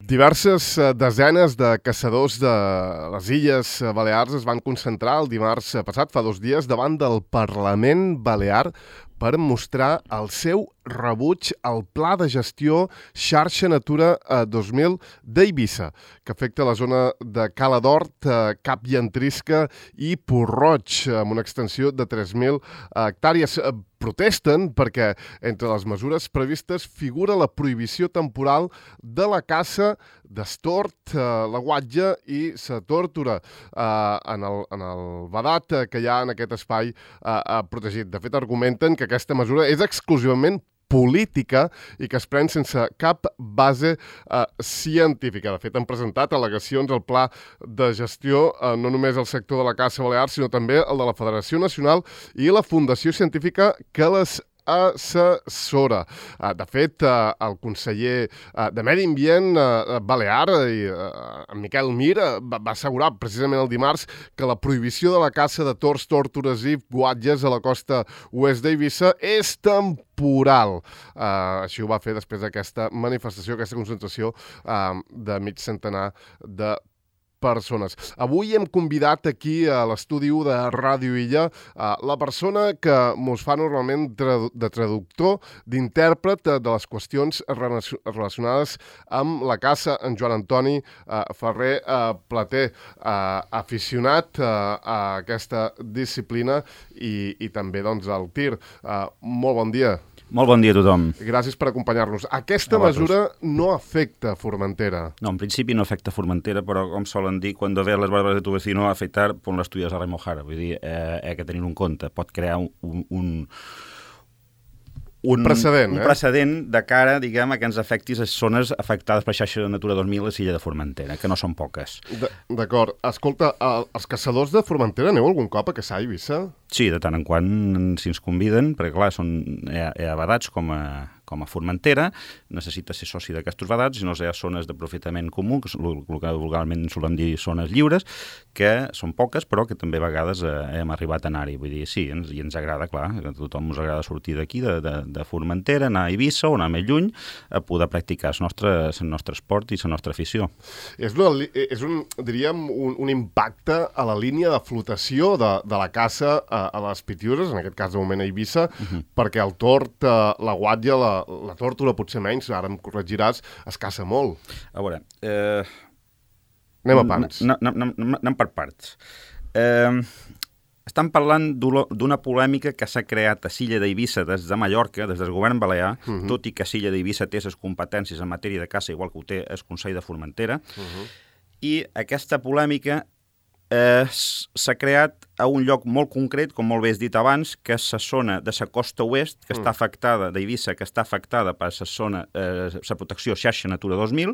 Diverses desenes de caçadors de les Illes Balears es van concentrar el dimarts passat, fa 2 dies, davant del Parlament Balear per mostrar el seu rebuig al Pla de Gestió Xarxa Natura 2000 d'Eivissa, que afecta la zona de Cala d'Hort, Cap Llantrisca i Port-roig, amb una extensió de 3.000 hectàrees. Protesten perquè entre les mesures previstes figura la prohibició temporal de la caça d'estort, la guatlla i la tórtora en el vedat que hi ha en aquest espai protegit. De fet, argumenten que aquesta mesura és exclusivament política i que es pren sense cap base científica. De fet, han presentat al·legacions al Pla de Gestió no només el sector de la caça balear, sinó també el de la Federació Nacional i la Fundació Científica que les assessora. De fet, el conseller de Medi Ambient balear, en Miquel Mir, va assegurar precisament el dimarts que la prohibició de la caça de tords, tórtores i guatges a la costa oest d'Eivissa és temporal. Així ho va fer després d'aquesta manifestació, aquesta concentració de mig centenar de persones. Avui hem convidat aquí a l'estudi 1 de Ràdio Illa la persona que mos fa normalment de traductor, d'intèrpret de les qüestions relacionades amb la caça, en Joan Antoni Ferrer Plater, aficionat a aquesta disciplina i també doncs al tir. Molt bon dia. Molt bon dia a tothom. Gràcies per acompanyar-nos. Aquesta mesura no afecta Formentera. No, en principi no afecta Formentera, però com solen dir, quan ve les barbas de tu vecino a afectar, pon les tuyes a remojar. Vull dir, que tenir un compte. Pot crear un precedent, un precedent de cara, diguem, a que ens afectis les zones afectades per xarxa de Natura 2000 a l'illa de Formentera, que no són poques. D'acord. Escolta, els caçadors de Formentera aneu algun cop a caçar a Eivissa? Sí, de tant en quant si ens conviden, perquè clar, hi ha vedats com a Formentera, necessita ser soci d'aquests vedats, i no hi ha zones d'aprofitament comú, que el que vulgarment solem dir zones lliures, que són poques, però que també a vegades hem arribat a anar-hi. Vull dir, sí, i ens agrada, clar, a tothom ens agrada sortir d'aquí, de Formentera, anar a Eivissa o anar més lluny, a poder practicar el nostre esport i la nostra afició. És diríem, un impacte a la línia de flotació de la caça a les Pitiüses, en aquest cas de moment a Eivissa, perquè el tord, la guatlla, la tórtora potser menys, ara em corregiràs, es caça molt. A veure... Anem a pams. Anem per parts. Estem parlant d'una polèmica que s'ha creat a l'illa d'Eivissa des de Mallorca, des del govern balear, tot i que l'illa d'Eivissa té les competències en matèria de caça, igual que ho té el Consell de Formentera, i aquesta polèmica s'ha creat a un lloc molt concret, com molt bé has dit abans, que és la zona de la costa oest, que està afectada, d'Eivissa, que està afectada per la zona, la protecció xarxa Natura 2000,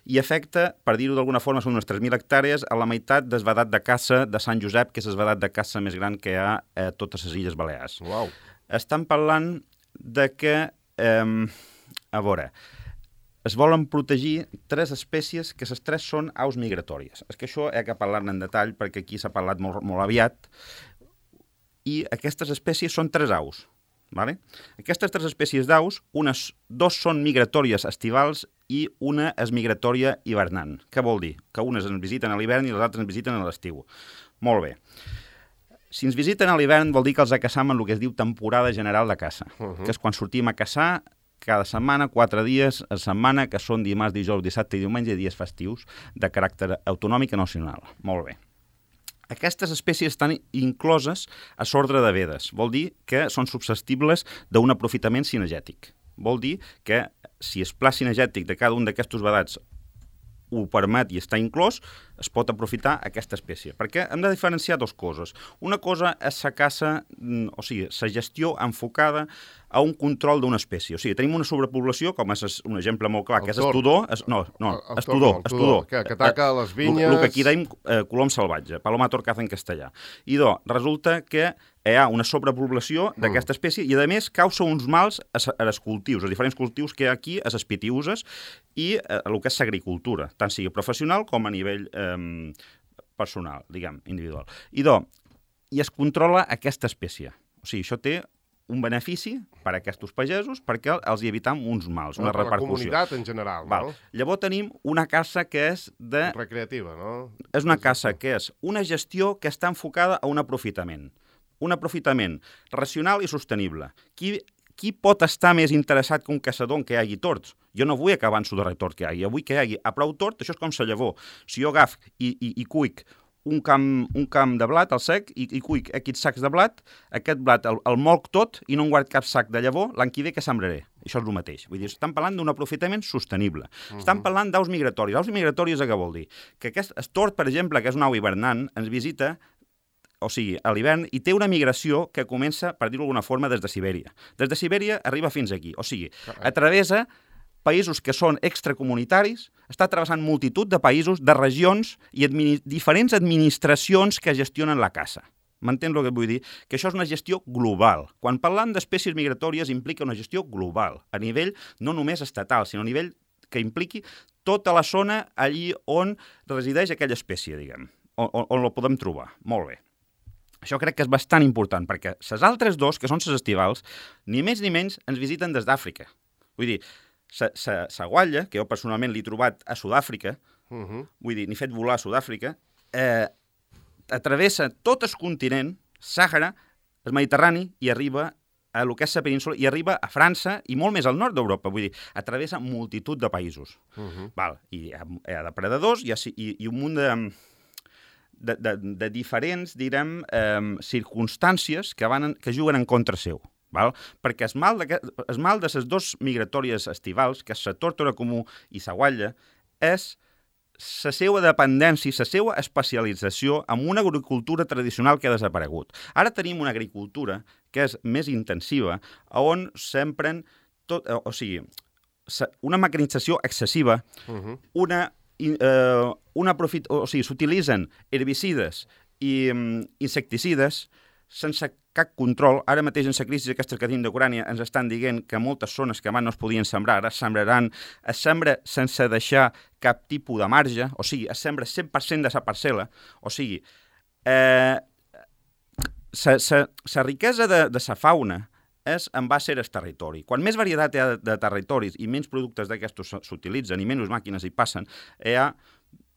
i afecta, per dir-ho d'alguna forma, són unes 3.000 hectàrees a la meitat del vedat de caça de Sant Josep, que és el vedat de caça més gran que hi ha a totes les Illes Balears. Uau. Estan parlant de que, a veure, es volen protegir 3 espècies, que les 3 són aus migratòries. És que això he de parlar-ne en detall, perquè aquí s'ha parlat molt aviat, i aquestes espècies són 3 aus. Vale? Aquestes 3 espècies d'aus, 2 són migratòries estivals i una és migratòria hivernant. Què vol dir? Que unes ens visiten a l'hivern i les altres ens visiten a l'estiu. Molt bé. Si ens visiten a l'hivern vol dir que els caçam en el que es diu temporada general de caça, que és quan sortim a caçar cada setmana, 4 dies a setmana, que són dimarts, dijous, dissabte i diumenge, dies festius de caràcter autonòmic i nacional. Molt bé. Aquestes espècies estan incloses a l'ordre de vedes. Vol dir que són susceptibles d'un aprofitament cinegètic. Vol dir que si el pla cinegètic de cada un d'aquests vedats ho permet i està inclòs, es pot aprofitar aquesta espècie. Perquè hem de diferenciar 2 coses. Una cosa és la caça, o sigui, la gestió enfocada a un control d'una espècie. O sigui, tenim una sobrepoblació, com és un exemple molt clar, que és el tudor. El tudor. Que ataca les vinyes... El que aquí deim colom salvatge, Paloma torcaza en castellà. I resulta que hi ha una sobrepoblació d'aquesta espècie i, a més, causa uns mals als cultius, als diferents cultius que hi ha aquí, a les Pitiüses i a el que és l'agricultura, tant sigui professional com a nivell personal, diguem, individual. I es controla aquesta espècie. O sigui, això té un benefici per a aquests pagesos perquè els hi evitam uns mals, una repercussió. La comunitat en general, no? Llavors tenim una caça que és recreativa, no? És una caça que és una gestió que està enfocada a un aprofitament. Un aprofitament racional i sostenible. Qui pot estar més interessat que un caçador en què hi hagi tords? Jo no vull acabar en su darrer tord que hi hagi. Jo vull que hi hagi a prou tord, això és com la llavor. Si jo agaf i cuic un camp de blat al sec i cuic aquests sacs de blat, aquest blat el molc tot i no en guard cap sac de llavor, l'any que ve que sembraré. Això és el mateix. Vull dir, estan parlant d'un aprofitament sostenible. Estan parlant d'aus migratoris. Aus migratoris què vol dir? Que aquest tord, per exemple, que és una au hivernant, ens visita a l'hivern, i té una migració que comença, per dir-ho d'alguna forma, des de Sibèria. Des de Sibèria arriba fins aquí. Atravessa països que són extracomunitaris, està travessant multitud de països, de regions i diferents administracions que gestionen la caça. M'entens el que vull dir? Que això és una gestió global. Quan parlem d'espècies migratòries implica una gestió global, a nivell no només estatal, sinó a nivell que impliqui tota la zona allí on resideix aquella espècie, diguem, on la podem trobar. Molt bé. Això crec que és bastant important, perquè les altres dos, que són les estivals, ni més ni menys ens visiten des d'Àfrica. Vull dir, la guatlla, que jo personalment l'he trobat a Sud-àfrica, vull dir, n'he fet volar a Sud-àfrica, travessa tot el continent, Sàhara, el Mediterrani, i arriba a lo que és la península, i arriba a França i molt més al nord d'Europa. Vull dir, travessa multitud de països. I hi ha depredadors i un munt de diferents, direm, circumstàncies que juguen en contra seu. Perquè el mal de les dues migratòries estivals, que és la tórtora comú i la guatlla, és la seva dependència, la seva especialització en una agricultura tradicional que ha desaparegut. Ara tenim una agricultura que és més intensiva, on s'empren una mecanització excessiva, s'utilitzen herbicides i insecticides sense cap control. Ara mateix en la crisi aquesta que tenim d'Ucrània ens estan dient que moltes zones que abans no es podien sembrar, ara sembraran, es sembra sense deixar cap tipus de marge, es sembra 100% de la parcel·la, la riquesa de la fauna és en base al territori. Quan més varietat hi ha de territoris i menys productes d'aquestos s'utilitzen i menys màquines hi passen, hi ha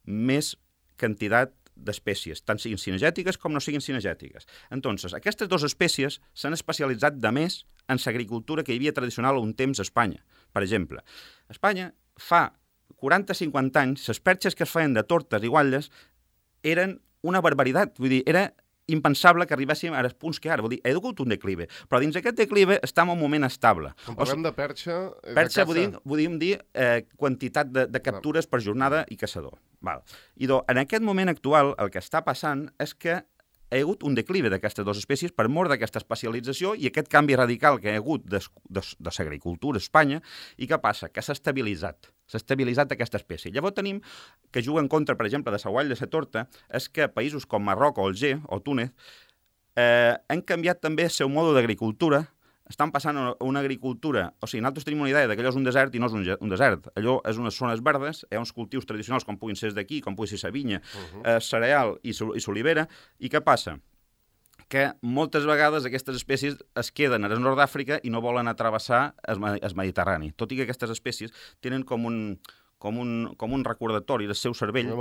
més quantitat d'espècies, tant siguin cinegètiques com no siguin cinegètiques. Entonces, aquestes dues espècies s'han especialitzat de més en l'agricultura que hi havia tradicional un temps a Espanya. Per exemple, a Espanya fa 40-50 anys les perxes que es feien de tortes i guatlles eren una barbaritat. Vull dir, era impensable que arribéssim als punts que ara. Vull dir, he hagut un declive, però dins d'aquest declive estem en un moment estable. Quan parlem de perxa... Perxa podríem dir quantitat de captures per jornada i caçador. I en aquest moment actual el que està passant és que hi ha hagut un declive d'aquestes dues espècies per mort d'aquesta especialització i aquest canvi radical que hi ha hagut de l'agricultura a Espanya. I què passa? Que s'ha estabilitzat aquesta espècie. Llavors tenim que juga en contra, per exemple, de la guatlla de la torta, és que països com Marroc o Alger o Túnez han canviat també el seu mode d'agricultura, estan passant a una agricultura... nosaltres tenim una idea que allò és un desert i no és un desert. Allò és unes zones verdes, hi ha uns cultius tradicionals com puguin ser d'aquí, com pugui ser la vinya, cereal i l'olivera. I què passa? Que moltes vegades aquestes espècies es queden al nord d'Àfrica i no volen travessar el Mediterrani. Tot i que aquestes espècies tenen com un recordatori del seu cervell,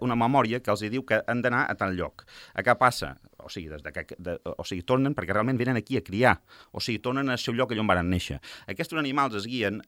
una memòria que els diu que han d'anar a tal lloc. Què passa? Tornen perquè realment venen aquí a criar, tornen al seu lloc allà on van néixer. Aquests animals es guien,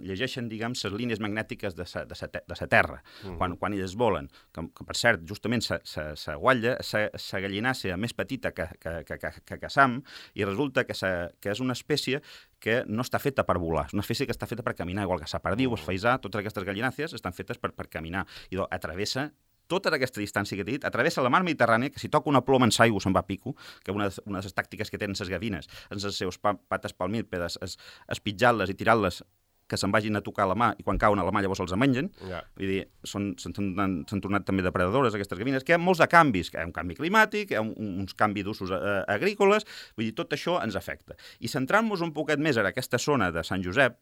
llegeixen, diguem, les línies magnètiques de la terra, quan ells volen. Que per cert, justament la guatlla, la gallinàcia més petita que caçam, i resulta que és una espècie que no està feta per volar, és una espècie que està feta per caminar, igual que la perdiu, el faisà, totes aquestes gallinàcies estan fetes per caminar. I atravessa tota aquesta distància que t'he dit, atravessa la mar Mediterrània, que si toca una ploma en l'aigua se'n va a pico, que una de les tàctiques que tenen les gavines, en les seves pates palmípedes, és pitjar-les i tirar-les que se'n vagin a tocar la mà i quan cauen a la mà llavors els mengen. Vull dir, s'han tornat també depredadores aquestes gavines, que hi ha molts de canvis, que hi ha un canvi climàtic, hi ha uns canvis d'usos agrícoles, vull dir, tot això ens afecta. I centrant-nos un poquet més en aquesta zona de Sant Josep,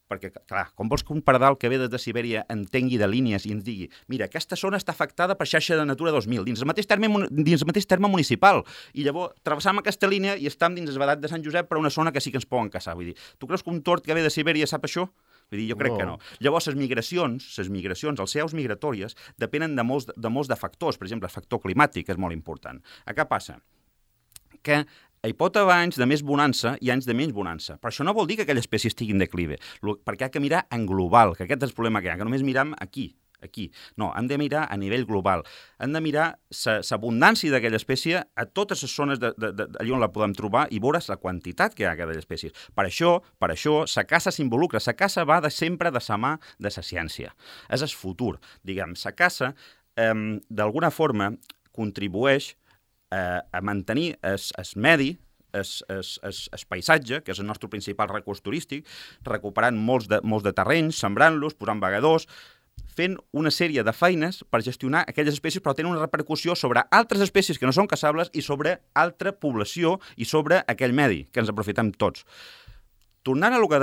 perquè, clar, com vols que un pardal que ve des de Sibèria entengui de línies i ens digui mira, aquesta zona està afectada per xarxa de Natura 2000, dins el mateix terme municipal, i llavors travessam aquesta línia i estem dins el vedat de Sant Josep per una zona que sí que ens poden caçar. Vull dir, tu creus que un tord que ve de Sibèria sap això? Vull dir, jo crec que no. Llavors, les migracions, les seus migratòries, depenen de molts de factors. Per exemple, el factor climàtic és molt important. Què passa? Que hi pot haver anys de més bonança i anys de menys bonança. Però això no vol dir que aquella espècie estigui en declive, perquè ha que mirar en global, que aquest és el problema que hi ha, que només miram aquí. No, hem de mirar a nivell global. Hem de mirar l'abundància d'aquella espècie a totes les zones allà on la podem trobar i veure la quantitat que hi ha d'aquella espècie. Per això, la caça s'involucra. La caça va sempre de la mà de la ciència. És el futur. Diguem, la caça, d'alguna forma, contribueix a mantenir el medi, el paisatge, que és el nostre principal recurs turístic, recuperant molts de terrenys, sembrant-los, posant vagadors, fent una sèrie de feines per gestionar aquelles espècies, però tenen una repercussió sobre altres espècies que no són caçables i sobre altra població i sobre aquell medi, que ens aprofitem tots. Tornant a lo que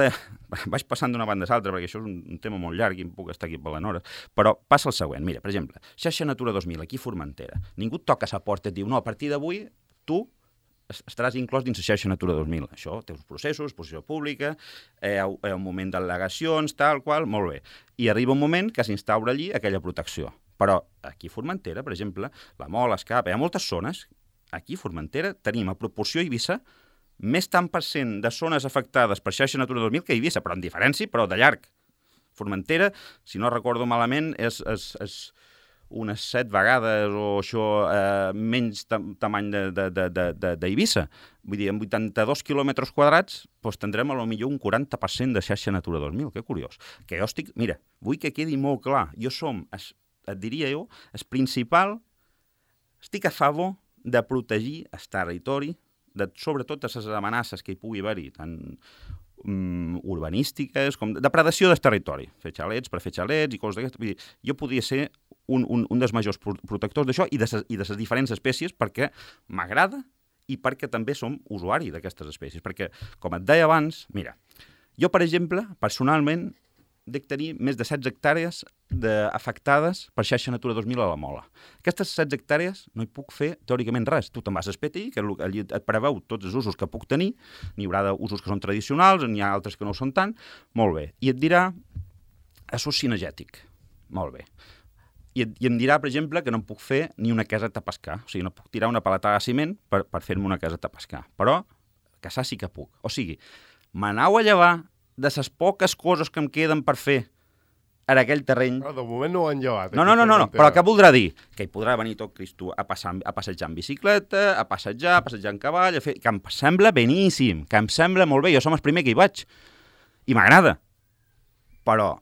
vaig passant d'una banda a l'altra, perquè això és un tema molt llarg i em puc estar aquí parlant hores, però passa el següent. Mira, per exemple, xarxa Natura 2000, aquí a Formentera. Ningú et toca la porta i et diu, no, a partir d'avui tu estaràs inclòs dins la xarxa Natura 2000. Això té uns processos, exposició pública, un moment d'al·legacions, tal qual, molt bé. I arriba un moment que s'instaura allí aquella protecció. Però aquí a Formentera, per exemple, la Mola, Escapa, hi ha moltes zones. Aquí a Formentera tenim a proporció Eivissa més tant per cent de zones afectades per xarxa Natura 2000 que Eivissa, però en diferència, però de llarg. Formentera, si no recordo malament, és unes 7 vegades o això menys tamany d'Eivissa. Vull dir, en 82 quilòmetres quadrats tindrem a lo millor un 40% de xarxa Natura 2000. Que curiós. Que jo estic... Mira, vull que quedi molt clar. Jo et diria jo, el principal... Estic a favor de protegir el territori sobretot totes les amenaces que hi pugui haver-hi, tant urbanístiques com de depredació del territori. Fer xalets per fer xalets i coses d'aquestes. Jo podria ser un dels majors protectors d'això i de les diferents espècies perquè m'agrada i perquè també som usuari d'aquestes espècies. Perquè, com et deia abans, mira, jo, per exemple, personalment, dec tenir més de 16 hectàrees afectades per xarxa Natura 2000 a la Mola. Aquestes 16 hectàrees no hi puc fer teòricament res. Tu te'n vas al PTI, que allí et preveu tots els usos que puc tenir, n'hi haurà usos que són tradicionals, n'hi ha altres que no ho són tant, molt bé. I et dirà això és cinegètic, molt bé. I em dirà, per exemple, que no em puc fer ni una caseta a pescar, o sigui, no puc tirar una paletada de ciment per fer-me una caseta a pescar, però caçar sí que puc. O sigui, m'anau a llevar de les poques coses que em queden per fer en aquell terreny... Però de moment no ho han llevat. No, però què voldrà dir? Que hi podrà venir tot Cristo a passejar en bicicleta, a passejar en cavall, que em sembla beníssim, que em sembla molt bé, jo som el primer que hi vaig, i m'agrada. Però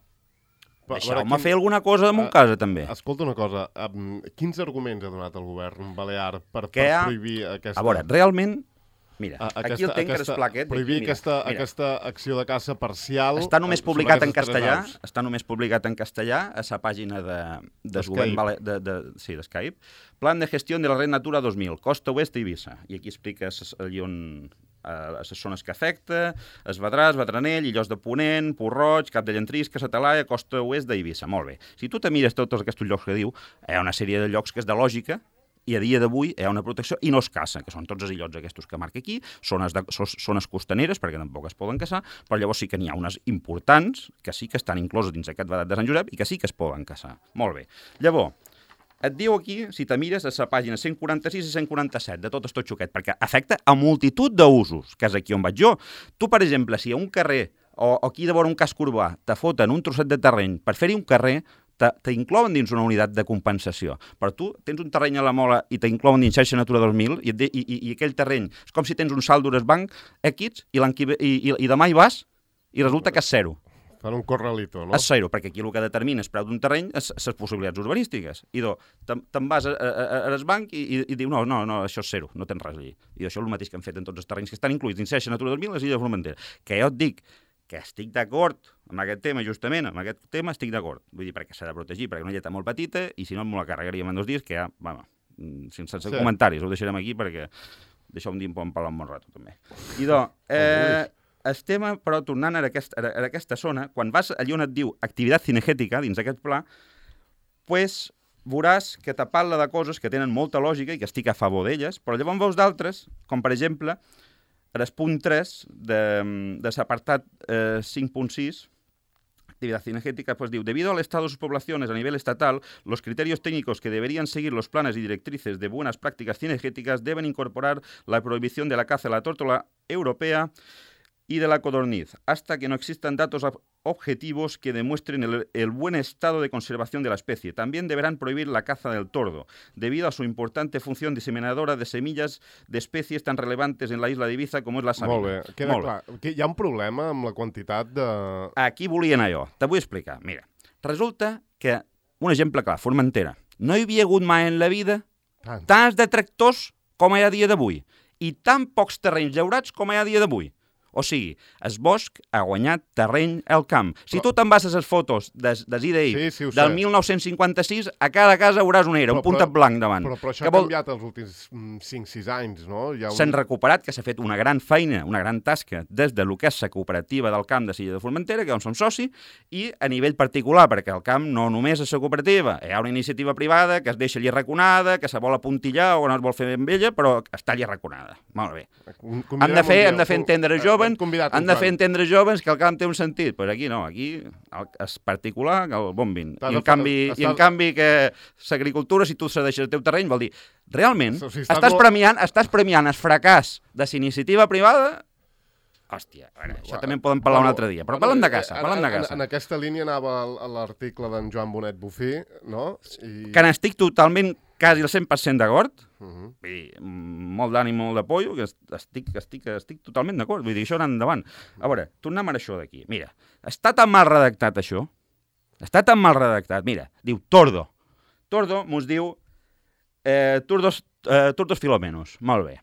deixeu-me fer alguna cosa de mon casa, també. Escolta una cosa, quins arguments ha donat el govern balear per prohibir aquesta... A veure, realment... Mira, aquí el tenc que esclar aquest. Prohibir aquesta acció de caça parcial... Està només publicat en castellà, a la pàgina del govern d'Skype. Plan de gestió de la red Natura 2000, costa oest d'Eivissa. I aquí expliques allí on les zones que afecta, es Vedràs, Vedranell, Illots de Ponent, Port-roig, Cap de Llantrisca, Sa Talaia, costa oest d'Eivissa. Molt bé. Si tu te mires tots aquests llocs que diu, hi ha una sèrie de llocs que és de lògica, i a dia d'avui hi ha una protecció i no es caça, que són tots els illots aquests que marca aquí, zones costaneres, perquè tampoc es poden caçar, però llavors sí que n'hi ha unes importants que sí que estan incloses dins aquest vedat de Sant Josep i que sí que es poden caçar. Molt bé. Llavors, et diu aquí, si te mires a la pàgina 146 i 147, de tot xoquet, perquè afecta a multitud d'usos, que és aquí on vaig jo. Tu, per exemple, si a un carrer o aquí de vora un casc urbà te foten un trosset de terreny per fer-hi un carrer, t'inclouen dins una unitat de compensació. Però tu tens un terreny a la Mola i t'inclouen dins xarxa Natura 2000 i aquell terreny és com si tens un saldo al banc X i demà hi vas i resulta que és zero. Fan un corralito, no? És zero, perquè aquí el que determina el preu d'un terreny és les possibilitats urbanístiques. I te'n vas al banc i diu no, això és zero, no tens res allí. I això és el mateix que han fet en tots els terrenys que estan incluïts dins xarxa Natura 2000 a les Illes de Formentera. Que jo et dic que estic d'acord amb aquest tema, justament, amb aquest tema estic d'acord. Vull dir, perquè s'ha de protegir, perquè una lletra molt petita, i si no, m'ho la carregaríem en 2 dies, que ja, sense comentaris, ho deixarem aquí, perquè d'això un dia em poden parlar un bon rato, també. I el tema, però, tornant a aquesta zona, quan vas allà on et diu activitat cinegètica, dins d'aquest pla, pues, veuràs que te parla de coses que tenen molta lògica i que estic a favor d'elles, però llavors veus d'altres, com per exemple, el punt 3 de l'apartat 5.6, actividad cinegética, pues diu, debido al estado de sus poblaciones a nivel estatal, los criterios técnicos que deberían seguir los planes y directrices de buenas prácticas cinegéticas deben incorporar la prohibición de la caza de la tórtola europea y de la codorniz, hasta que no existan datos objetivos que demuestren el buen estado de conservación de la especie. También deberán prohibir la caza del tordo, debido a su importante función diseminadora de semillas de especies tan relevantes en la isla de Ibiza com és la sabina. Molt bé, queda clar. Hi ha un problema amb la quantitat de... Aquí volia anar jo. Te vull explicar. Mira, resulta que, un exemple clar, Formentera. No hi havia hagut mai en la vida tants detractors com hi ha a dia d'avui i tan pocs terrenys llaurats com hi ha a dia d'avui. O sigui, el bosc ha guanyat terreny al camp. Si tu te'n vas a les fotos d'IDI del 1956, a cada casa veuràs una era, un puntet blanc davant. Però això ha canviat els últims 5-6 anys, no? S'han recuperat, que s'ha fet una gran feina, una gran tasca, des de lo que és la cooperativa del camp de Silla de Formentera, que on som soci, i a nivell particular, perquè al camp no només és la cooperativa, hi ha una iniciativa privada que es deixa allí arraconada, que se vol apuntillar o no es vol fer amb ella, però està allí arraconada. Molt bé. Hem de fer entendre joves, han de fer entendre joves que el camp té un sentit. Però aquí no, aquí és particular que el bombin. I en canvi que l'agricultura, si tu cedeixes el teu terreny, vol dir, realment, estàs premiant el fracàs de la iniciativa privada. Hòstia, això també en podem parlar un altre dia, però parlem de caça, En aquesta línia anava l'article d'en Joan Bonet Bufí, no? Que n'estic totalment, quasi el 100% d'acord, molt d'ànim, molt de pollo, que estic totalment d'acord, vull dir, això anar endavant. A veure, tornem a això d'aquí. Mira, està tan mal redactat això, mira, diu tordo. Tordo mos diu turdos filomenos, molt bé.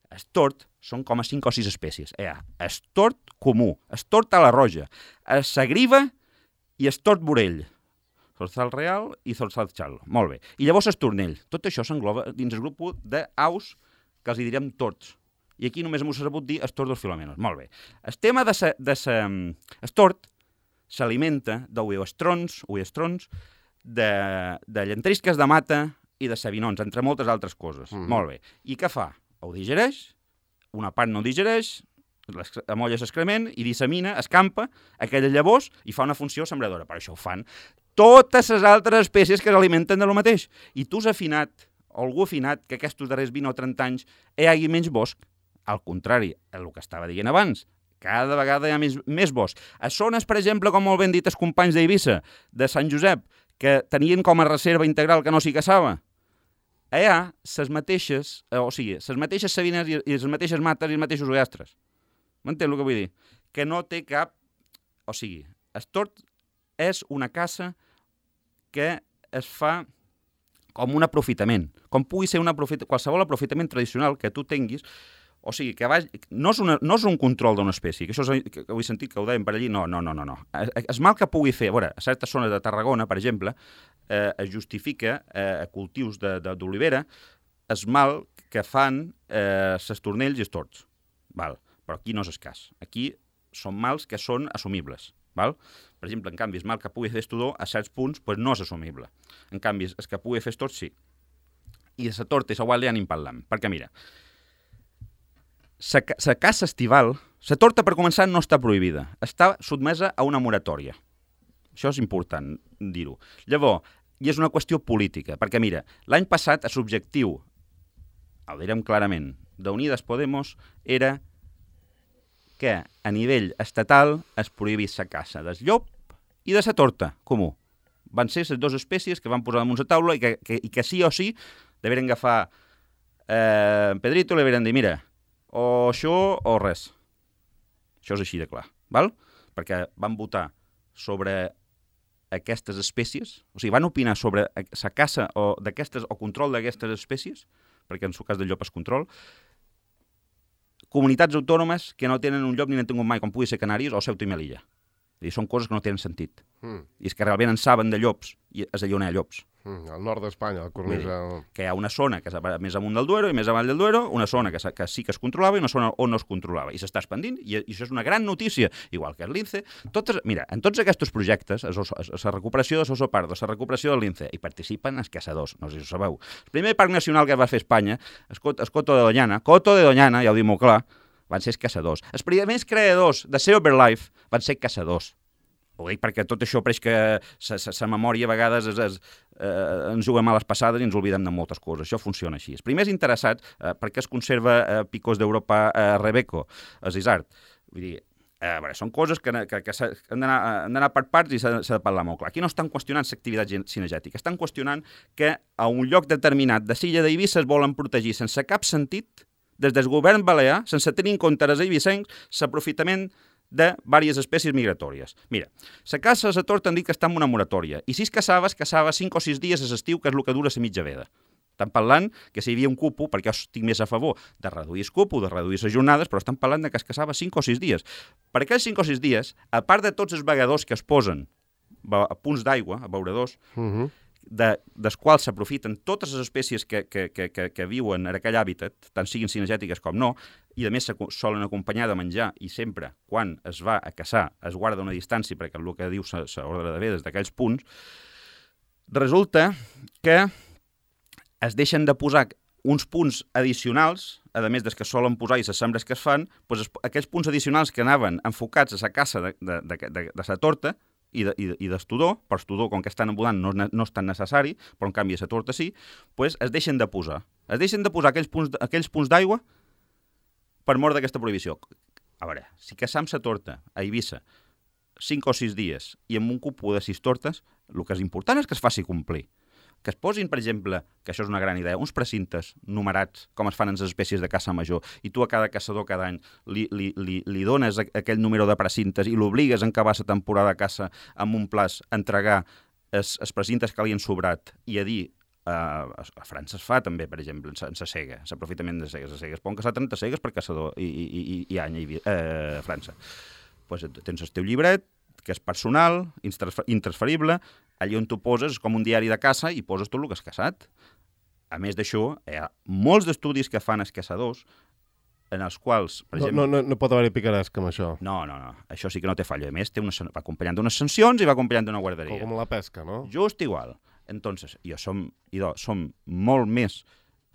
El tord són com a 5 o 6 espècies. El tord comú, el tord a la roja, el sagriva i el tord vorell. Zorzal real i zorzal xal. Molt bé. I llavors el tornell. Tot això s'engloba dins el grup d'aus que els direm tords. I aquí només m'ho sabut dir els tordos filomenos. Molt bé. El tema el tord s'alimenta d'uestrons, de llentisques de mata i de sabinons, entre moltes altres coses. Molt bé. I què fa? Ho digereix, una part no digereix, amolla l'excrement i dissemina, escampa aquelles llavors i fa una funció sembradora. Per això ho fan totes les altres espècies que s'alimenten de lo mateix. I tu has afinat, o algú ha afinat, que aquests darrers 20 o 30 anys hi hagi menys bosc. Al contrari, el que estava dient abans, cada vegada hi ha més bosc. A zones, per exemple, com molt ben dit els companys d'Eivissa, de Sant Josep, que tenien com a reserva integral que no s'hi caçava, allà les mateixes sabines i les mateixes mates i els mateixos ugastres. M'entens el que vull dir? Que no té cap... O sigui, el tord és una caça que es fa com un aprofitament. Com pugui ser qualsevol aprofitament tradicional que tu tinguis. O sigui, que no és un control d'una espècie, que això que ho he sentit que ho deien per allí, no. El mal que pugui fer, a veure, a certes zones de Tarragona, per exemple, es justifica a cultius d'olivera el mal que fan els tornells i els tords. Val? Però aquí no és el cas. Aquí són mals que són assumibles. Val? Per exemple, en canvi, el mal que pugui fer estudor a certs punts pues no és assumible. En canvi, el que pugui fer tort sí. I la torta i la guàrdia anem parlant. Perquè mira, la caça estival, la torta per començar no està prohibida, està sotmesa a una moratòria. Això és important dir-ho. Llavors, i és una qüestió política, perquè mira, l'any passat l'objectiu, ho direm clarament, d'Unides Podemos era que a nivell estatal es prohibís la caça del llop i de la torta comú. Van ser les dues espècies que van posar damunt la taula i que sí o sí deveren agafar Pedrito i li deveren dir, mira, o això o res. Això és així de clar, val? Perquè van votar sobre aquestes espècies, o sigui, van opinar sobre la caça o control d'aquestes espècies, perquè en el cas del llop és control, comunitats autònomes que no tenen un llop ni n'han tingut mai, com pugui ser Canàries o Ceuta i Melilla. I són coses que no tenen sentit. I és que realment en saben de llops i és allà on hi ha llops. Al nord d'Espanya, la cornisa... Que hi ha una zona que és més amunt del Duero i més avall del Duero, una zona que sí que es controlava i una zona on no es controlava. I s'està expandint, i això és una gran notícia, igual que el Lince. Mira, en tots aquests projectes, la recuperació de Soso Pardo, la recuperació del Lince, hi participen els caçadors, no sé si ho sabeu. El primer parc nacional que va fer Espanya, el Coto de Doñana, ja ho dic molt clar, van ser els caçadors. Els primers creadors de Sea Over Life van ser caçadors. Ho dic perquè tot això pareix que la memòria a vegades ens juga males passades i ens oblidem de moltes coses. Això funciona així. Els primers interessats, perquè es conserva Picos d'Europa Rebeco, els Isart. Vull dir, són coses que han d'anar per parts i s'ha de parlar molt clar. Aquí no estan qüestionant l'activitat cinegètica, estan qüestionant que a un lloc determinat de l'illa d'Eivissa es volen protegir sense cap sentit, des del govern balear, sense tenir en compte els eivissencs, l'aprofitament de diverses espècies migratòries. Mira, la caça a la torta han dit que està en una moratòria, i si es caçava 5 o 6 dies a l'estiu, que és el que dura la mitja veda. Estan parlant que si hi havia un cupo, perquè jo estic més a favor de reduir el cupo, de reduir les jornades, però estan parlant que es caçava 5 o 6 dies. Per aquells 5 o 6 dies, a part de tots els vegadors que es posen a punts d'aigua, a beuradors, dels quals s'aprofiten totes les espècies que viuen en aquell hàbitat, tant siguin cinegètiques com no, i a més solen acompanyar de menjar, i sempre, quan es va a caçar, es guarda una distància, perquè el que diu l'ordre de vedes d'aquells punts, resulta que es deixen de posar uns punts addicionals, a més dels que solen posar i les sembres que es fan, doncs aquells punts addicionals que anaven enfocats a la caça de la torta, i d'estudor, però estudor, com que estan embulant, no és tan necessari, però en canvi a la torta sí, doncs es deixen de posar. Es deixen de posar aquells punts d'aigua per mort d'aquesta prohibició. A veure, si caçam la torta a Eivissa 5 o 6 dies i amb un cupo de 6 tortes, el que és important és que es faci complir. Que es posin, per exemple, que això és una gran idea, uns precintes numerats, com es fan en les espècies de caça major, i tu a cada caçador cada any li dones aquell número de precintes i l'obligues a acabar la temporada de caça amb un plaç a entregar els precintes que li han sobrat i a dir, a França es fa també, per exemple, en la cega, l'aprofitament de cegues. A cegues poden caçar 30 cegues per caçador i any a França. Pues tens el teu llibret, que és personal, intransferible, allà on tu poses com un diari de caça i poses tot el que has caçat. A més d'això, hi ha molts d'estudis que fan els caçadors en els quals, per exemple... No pot haver-hi picaresca amb això. No. Això sí que no té fallo. A més, va acompanyant d'unes sancions i va acompanyant d'una guarderia. Com la pesca, no? Just igual. Entonces, som molt més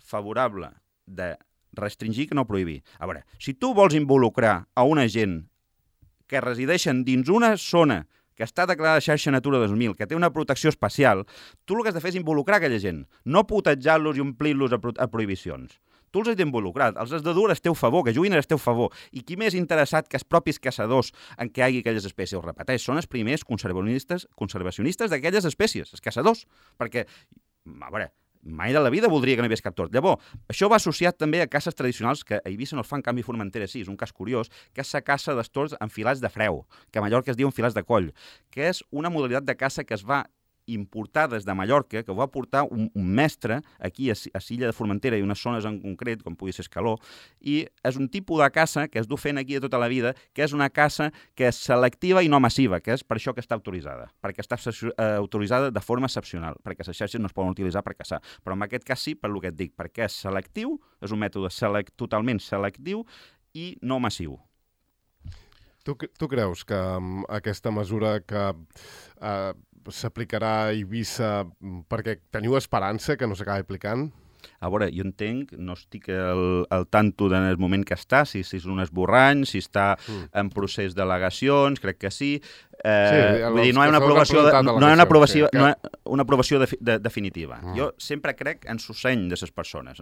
favorable de restringir que no prohibir. A veure, si tu vols involucrar a una gent que resideixen dins una zona que està declarada xarxa Natura 2000, que té una protecció especial, tu el que has de fer és involucrar aquella gent, no putejar-los i omplir-los a prohibicions. Tu els has d'involucrar, els has de dur al teu favor, que juguin al teu favor. I qui més interessat que els propis caçadors en què hi hagi aquelles espècies? Ho repeteix, són els primers conservacionistes d'aquelles espècies, els caçadors. Perquè, a veure, mai de la vida voldria que no hi hagués cap tort. Llavors, això va associat també a caces tradicionals que a Eivissa no es fan, en canvi Formentera sí, és un cas curiós, que és la caça dels tords en filats de freu, que a Mallorca es diu en filats de coll, que és una modalitat de caça que es va importar des de Mallorca, que va portar un mestre aquí a l'illa de Formentera i unes zones en concret, com pugui ser Escaló, i és un tipus de caça que es du fent aquí de tota la vida, que és una caça que és selectiva i no massiva, que és per això que està autoritzada, perquè està autoritzada de forma excepcional, perquè les xarxes no es poden utilitzar per caçar. Però en aquest cas sí, per el que et dic, perquè és selectiu, és un mètode totalment selectiu i no massiu. Tu creus que aquesta mesura que s'aplicarà a Eivissa perquè teniu esperança que no s'acabi aplicant? A veure, jo entenc, no estic al tanto del moment que està, si és un esborrany, si està en procés d'al·legacions, crec que sí. Vull dir, no hi ha una aprovació definitiva. Jo sempre crec en l'osseny de les persones,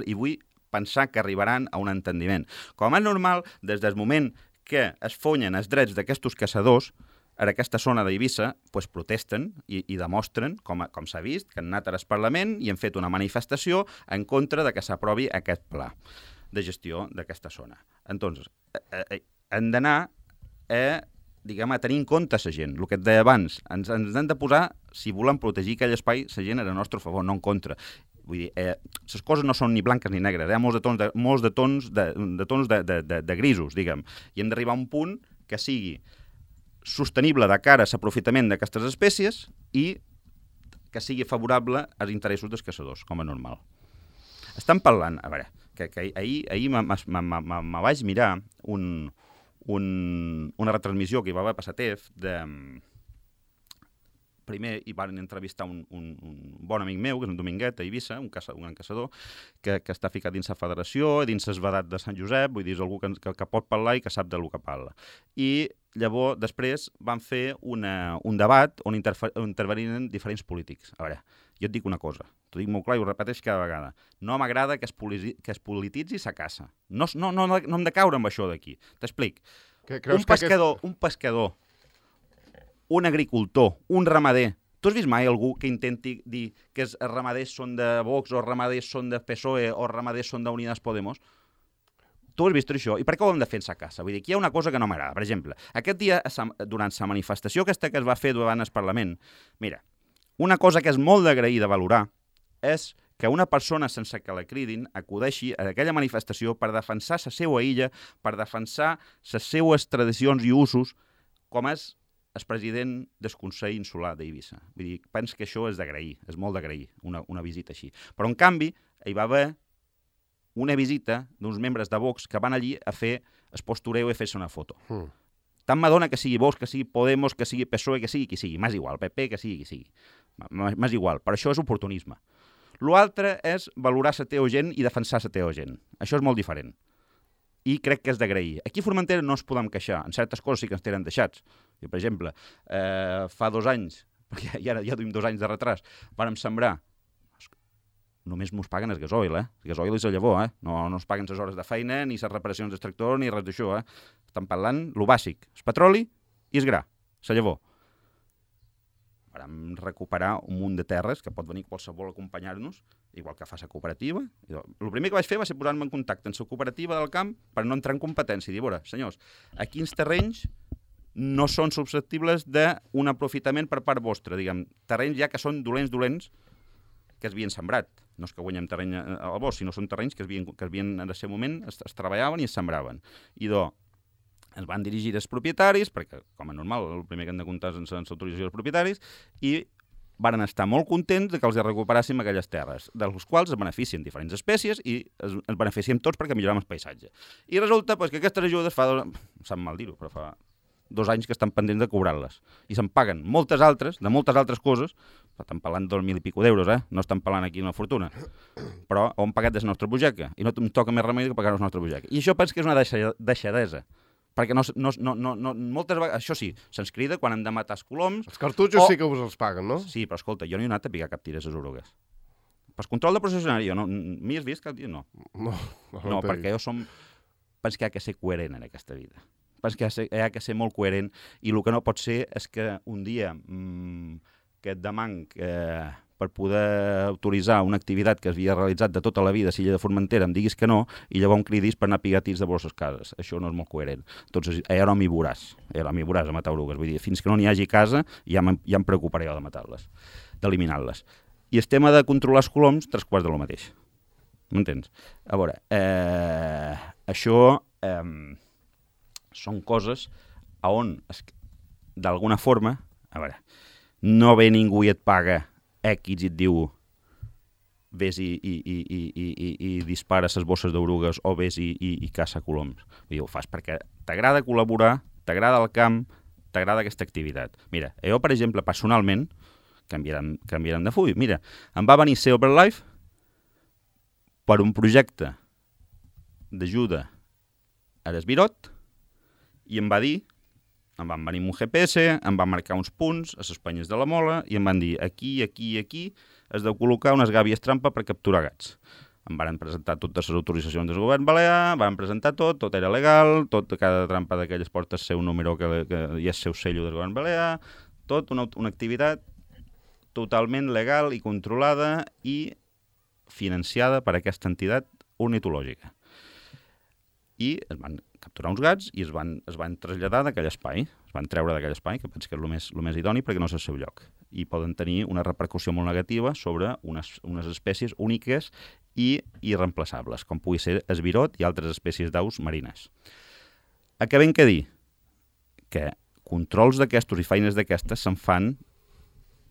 i vull pensar que arribaran a un entendiment. Com és normal, des del moment que es fonyen els drets d'aquests caçadors, en aquesta zona d'Eivissa protesten i demostren, com s'ha vist, que han anat al Parlament i han fet una manifestació en contra de que s'aprovi aquest pla de gestió d'aquesta zona. Entonces, hem d'anar a tenir en compte la gent. El que et deia abans, ens hem de posar, si volem protegir aquell espai, la gent era a nostre favor, no en contra. Vull dir, les coses no són ni blanques ni negres, hi ha molts de tons de grisos, diguem, i hem d'arribar a un punt que sigui sostenible de cara a l'aprofitament d'aquestes espècies i que sigui favorable als interessos dels caçadors, com a normal. Estan parlant, a veure, que ahir me vaig mirar una retransmissió que hi va haver a Pasatef primer hi van entrevistar un bon amic meu, que és un Dominguet, a Eivissa, un gran caçador, que està ficat dins la federació, dins el vedat de Sant Josep, vull dir, és algú que pot parlar i que sap del que parla. I llavors, després, van fer un debat on intervenien diferents polítics. A veure, jo et dic una cosa, t'ho dic molt clar i ho repeteix cada vegada. No m'agrada que es polititzi sa caça. No hem de caure amb això d'aquí. T'explic. Un pescador, un agricultor, un ramader. Tu has vist mai algú que intenti dir que els ramaders són de Vox o els ramaders són de PSOE o els ramaders són d'Unidas Podemos? Tu has vist això? I per què ho hem de fer en sa casa? Vull dir, aquí hi ha una cosa que no m'agrada. Per exemple, aquest dia, durant la manifestació aquesta que es va fer davant el Parlament, mira, una cosa que és molt d'agrair de valorar és que una persona sense que la cridin acudeixi a aquella manifestació per defensar la seva illa, per defensar les seues tradicions i usos, com és el president del Consell Insular d'Eivissa. Vull dir, penso que això és d'agrair, és molt d'agrair, una visita així. Però, en canvi, hi va haver una visita d'uns membres de Vox que van allí a fer el postureo i fer-se una foto. Tant m'adona que sigui Vox, que sigui Podemos, que sigui PSOE, que sigui qui sigui. M'és igual, PP, que sigui qui sigui. M'és igual, però això és oportunisme. L'altre és valorar la teva gent i defensar la teva gent. Això és molt diferent. I crec que és d'agrair. Aquí a Formentera no ens podem queixar. En certes coses sí que ens tenen deixats. I, per exemple, fa 2 anys, perquè ja duim 2 anys de retras, vàrem sembrar. Només mos paguen el gasoil, El gasoil és el llavor, No ens paguen les hores de feina, ni les reparacions del tractor, ni res d'això, Estan parlant lo bàsic. El petroli i el gra, la llavor. Vàrem recuperar un munt de terres que pot venir qualsevol a acompanyar-nos, igual que fa la cooperativa. El primer que vaig fer va ser posar-me en contacte amb la cooperativa del camp per no entrar en competència i dir, veure, senyors, quins terrenys no són susceptibles d'un aprofitament per part vostra, diguem, terrenys ja que són dolents que es havien sembrat. No és que guanyem terreny al bosc, sinó són terrenys que es havien en el seu moment es treballaven i es sembraven. I ens van dirigir els propietaris, perquè, com a normal, el primer que hem de comptar és sense autorització dels propietaris, i varen estar molt contents que els recuperàssim aquelles terres, dels quals es beneficien diferents espècies i es beneficiem tots perquè millorem el paisatge. I resulta que aquestes ajudes sap mal dir-ho, però fa 2 anys que estan pendents de cobrar-les. I se'n paguen moltes altres coses, estan parlant d'2.000 i pico d'euros, No estan parlant aquí una fortuna. Però ho hem pagat des de la nostra butxaca, i no em toca més remei que pagar la nostra butxaca. I això penso que és una deixadesa. Perquè moltes vegades, això sí, se'ns crida quan hem de matar els coloms... Els cartutxos sí que us els paguen, no? Sí, però escolta, jo no he anat a picar cap tir a les orugues. Per control de processionari, m'hi has vist cap dia? No. No, perquè jo penso que hi ha que ser coherent en aquesta vida. Penso que hi ha que ser molt coherent i el que no pot ser és que un dia que et demanc per poder autoritzar una activitat que havia realitzat de tota la vida a l'illa de Formentera em diguis que no i llavors em cridis per anar a pigar tirs de vostres cases. Això no és molt coherent. Entonces, allà no m'hi veuràs a matar orugues. Vull dir, fins que no n'hi hagi casa ja em preocuparé jo de matar-les, d'eliminar-les. I el tema de controlar els coloms, 3/4 de lo mateix. M'entens? A veure, això són coses on, d'alguna forma, a veure, no ve ningú i et paga X i et diu ves i dispara les bosses d'orugues o ves i caça coloms. I ho fas perquè t'agrada col·laborar, t'agrada el camp, t'agrada aquesta activitat. Mira, jo, per exemple, personalment, canviarem de full. Mira, em va venir Sea Life per un projecte d'ajuda a l'Esbirot i em va dir, em van venir amb un GPS, em van marcar uns punts a les penyes de la Mola i em van dir aquí has de col·locar unes gàbies trampa per capturar gats. Em van presentar totes les autoritzacions del govern balear, van presentar tot era legal, cada trampa d'aquelles porta el seu número que hi ha el seu sello del govern balear, tot una activitat totalment legal i controlada i financiada per aquesta entitat ornitològica. I es van capturar uns gats i es van traslladar d'aquell espai, es van treure d'aquell espai, que penso que és el més idoni perquè no és el seu lloc. I poden tenir una repercussió molt negativa sobre unes espècies úniques i irreemplaçables, com pugui ser esbirot i altres espècies d'aus marines. Acabem que dir que controls d'aquestos i feines d'aquestes se'n fan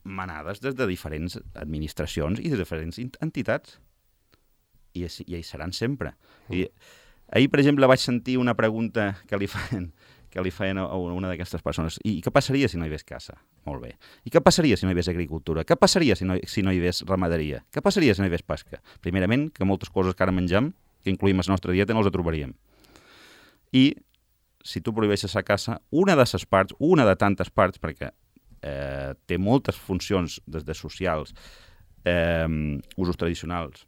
manades des de diferents administracions i de diferents entitats. I hi seran sempre. I ahir, per exemple, vaig sentir una pregunta que li feien a una d'aquestes persones. I què passaria si no hi hagués caça? Molt bé. I què passaria si no hi hagués agricultura? Què passaria si no hi hagués ramaderia? Què passaria si no hi hagués pesca? Primerament, que moltes coses que ara mengem, que incluïm a la nostra dieta, no les trobaríem. I si tu prohibeixes la caça, una de tantes parts, perquè té moltes funcions des de socials, usos tradicionals,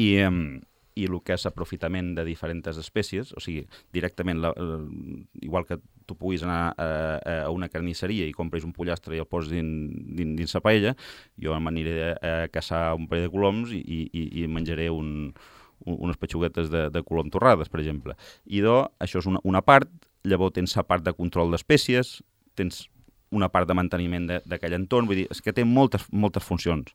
i el que és aprofitament de diferents espècies, o sigui, directament, igual que tu puguis anar a una carnisseria i compris un pollastre i el poses dins la paella, jo m'aniré a caçar un parell de coloms i menjaré unes petxuguetes de colom torrades, per exemple. I això és una part, llavors tens la part de control d'espècies, tens una part de manteniment d'aquell entorn, vull dir, és que té moltes funcions.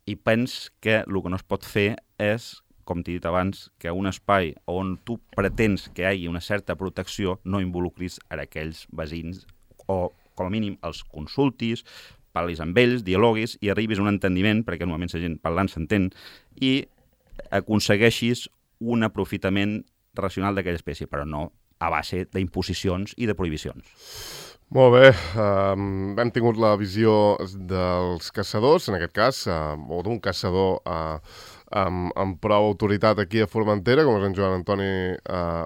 I pens que el que no es pot fer és, com t'he dit abans, que un espai on tu pretens que hi hagi una certa protecció no involucris a aquells veïns o, com a mínim, els consultis, parlis amb ells, dialoguis i arribis a un entendiment, perquè normalment la gent parlant s'entén, i aconsegueixis un aprofitament racional d'aquella espècie, però no a base d'imposicions i de prohibicions. Molt bé, hem tingut la visió dels caçadors, en aquest cas, o d'un caçador amb prou autoritat aquí a Formentera, com és en Joan Antoni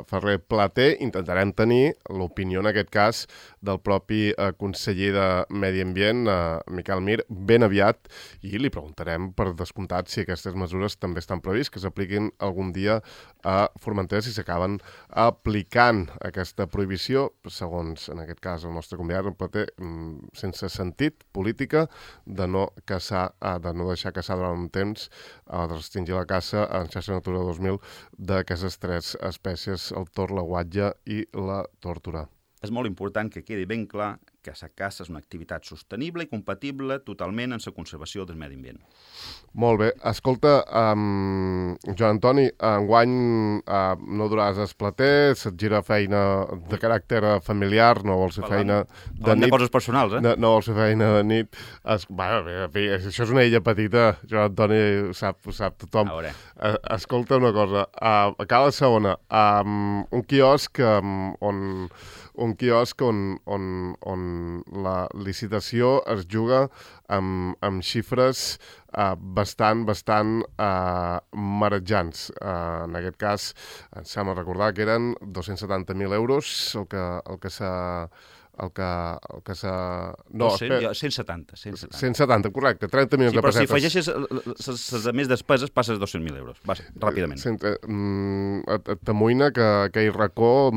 Ferrer Plater. Intentarem tenir l'opinió, en aquest cas, del propi conseller de Medi Ambient, Miquel Mir, ben aviat, i li preguntarem, per descomptat, si aquestes mesures també estan previst que s'apliquin algun dia a Formentera, si s'acaben aplicant aquesta prohibició, segons, en aquest cas, el nostre convidat, en Plater, sense sentit política, de no deixar caçar durant un temps, de restringir la caça en xarxa Natura 2000 d'aquestes 3 espècies, el tor, la guatlla i la tórtora. És molt important que quedi ben clar que la caça és una activitat sostenible i compatible totalment amb la conservació del medi ambient. Molt bé. Escolta, Joan Antoni, enguany no duràs a Plater, se't gira feina de caràcter familiar, no vols fer feina de nit. De coses personals, No vols fer feina de nit. Això és una illa petita, Joan Antoni, ho sap tothom. Escolta una cosa, a Cala Segona, un quiosc on la licitació es juga amb xifres bastant marejants. En aquest cas, em sembla recordar que eren 270.000 euros el que s'ha... No, 170. 170, correcte, 30 milions de pessetes. Però si afegeixes les més despeses, passes 200.000 euros, ràpidament. T'amoïna que aquell racó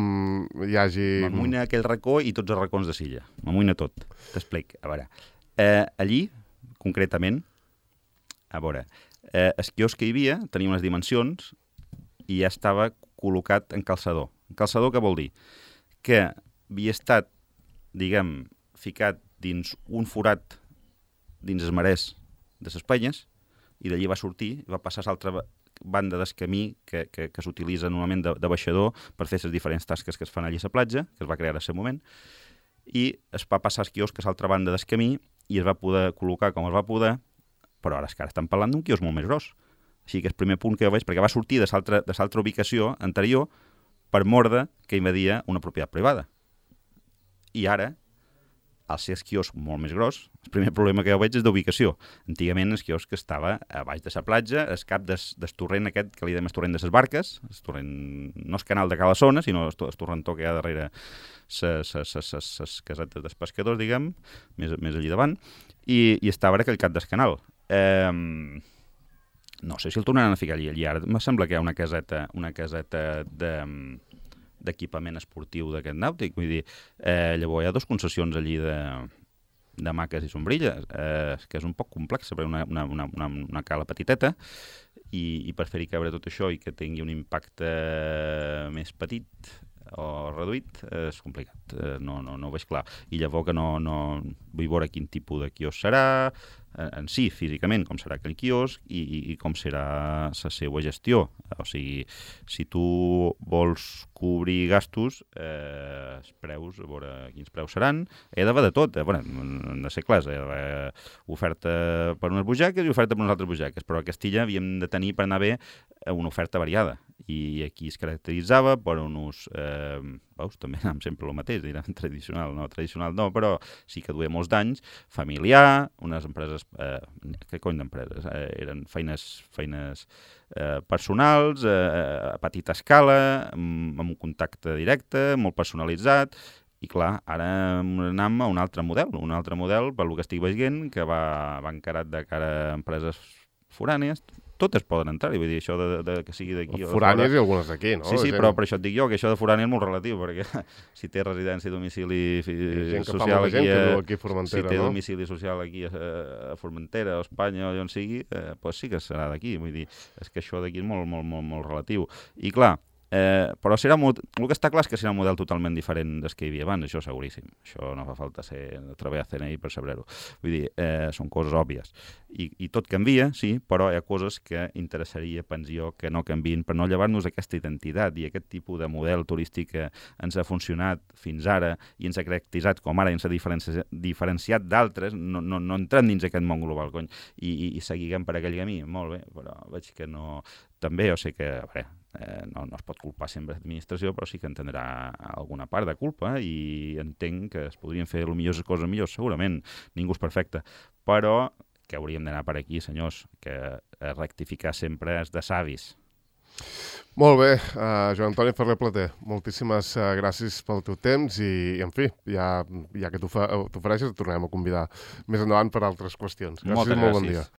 hi hagi... M'amoïna aquell racó i tots els racons de Silla. M'amoïna tot. T'explic. A veure, allí, concretament, el quiosc que hi havia tenia unes dimensions i ja estava col·locat en calçador. En calçador què vol dir? Que havia estat, diguem, ficat dins un forat dins els marès de les Penyes i d'allí va sortir i va passar a l'altra banda del camí que s'utilitza normalment de baixador per fer les diferents tasques que es fan allí a la platja, que es va crear en aquest moment, i es va passar el quiosc a l'altra banda del camí i es va poder col·locar com es va poder, però ara és que estan parlant d'un quiosc molt més gros. Així que el primer punt que jo veig, perquè va sortir de l'altra ubicació anterior per morde que invadia una propietat privada. I ara, al ser el quiosc molt més gros, el primer problema que jo veig és d'ubicació. Antigament el quiosc estava a baix de la platja, al cap del torrent aquest que li dèiem el torrent de les barques, el torrent, no el canal de Calassona, sinó el torrentó que hi ha darrere les casetes dels pescadors, diguem, més allí davant, i estava ara aquell cap del canal. No sé si el tornaran a ficar allí. Ara em sembla que hi ha una caseta d'equipament esportiu d'aquest nàutic. Vull dir, llavors hi ha 2 concessions allí de maques i sombrilles, que és un poc complex, perquè una cala petiteta, i per fer-hi cabre tot això i que tingui un impacte més petit o reduït, és complicat. No ho veig clar. I llavors que no vull veure quin tipus de quiosc serà, en si, físicament, com serà aquell quiosc i com serà la seva gestió. O sigui, si tu vols cobrir gastos, els preus, a veure quins preus seran, hi ha d'haver de tot. Han de ser clars, hi ha d'haver oferta per unes butxaques i oferta per unes altres butxaques, però a Castilla havíem de tenir per anar bé una oferta variada. I aquí es caracteritzava per un ús, veus, també anàvem sempre el mateix, direm tradicional no, però sí que duia molts d'anys, familiar, unes empreses, què cony d'empreses? Eren feines personals, a petita escala, amb un contacte directe, molt personalitzat, i clar, ara anem a un altre model, pel que estic veient, que va encarat de cara a empreses forànies. Totes poden entrar, vull dir, això de que sigui d'aquí... Forànies i algunes d'aquí, no? Sí, però per això et dic jo, que això de forània és molt relatiu, perquè si té residència i domicili social aquí, si té domicili social aquí a Formentera, a Espanya o on sigui, doncs sí que serà d'aquí, vull dir, és que això d'aquí és molt, molt, molt, molt relatiu. I clar, però el que està clar és que serà un model totalment diferent del que hi havia abans, això seguríssim. Això no fa falta treballar a CNI per saber-ho. Vull dir, són coses òbvies. I tot canvia, sí, però hi ha coses que interessaria, penso, que no canvien per no llevar-nos aquesta identitat i aquest tipus de model turístic que ens ha funcionat fins ara i ens ha caracteritzat com ara i ens ha diferenciat d'altres, no entrem dins aquest món global, cony, i seguiguem per aquell camí. Molt bé, però veig que no... També jo sé que, a veure, no es pot culpar sempre l'administració, però sí que entendrà alguna part de culpa i entenc que es podrien fer millors coses millors, segurament, ningú és perfecte, però que hauríem d'anar per aquí, senyors, que rectificar sempre és de savis. Molt bé, Joan Antoni Ferrer Plater, moltíssimes gràcies pel teu temps i en fi, ja que t'ofereixes et tornarem a convidar més endavant per altres qüestions. Gràcies, molt bon dia.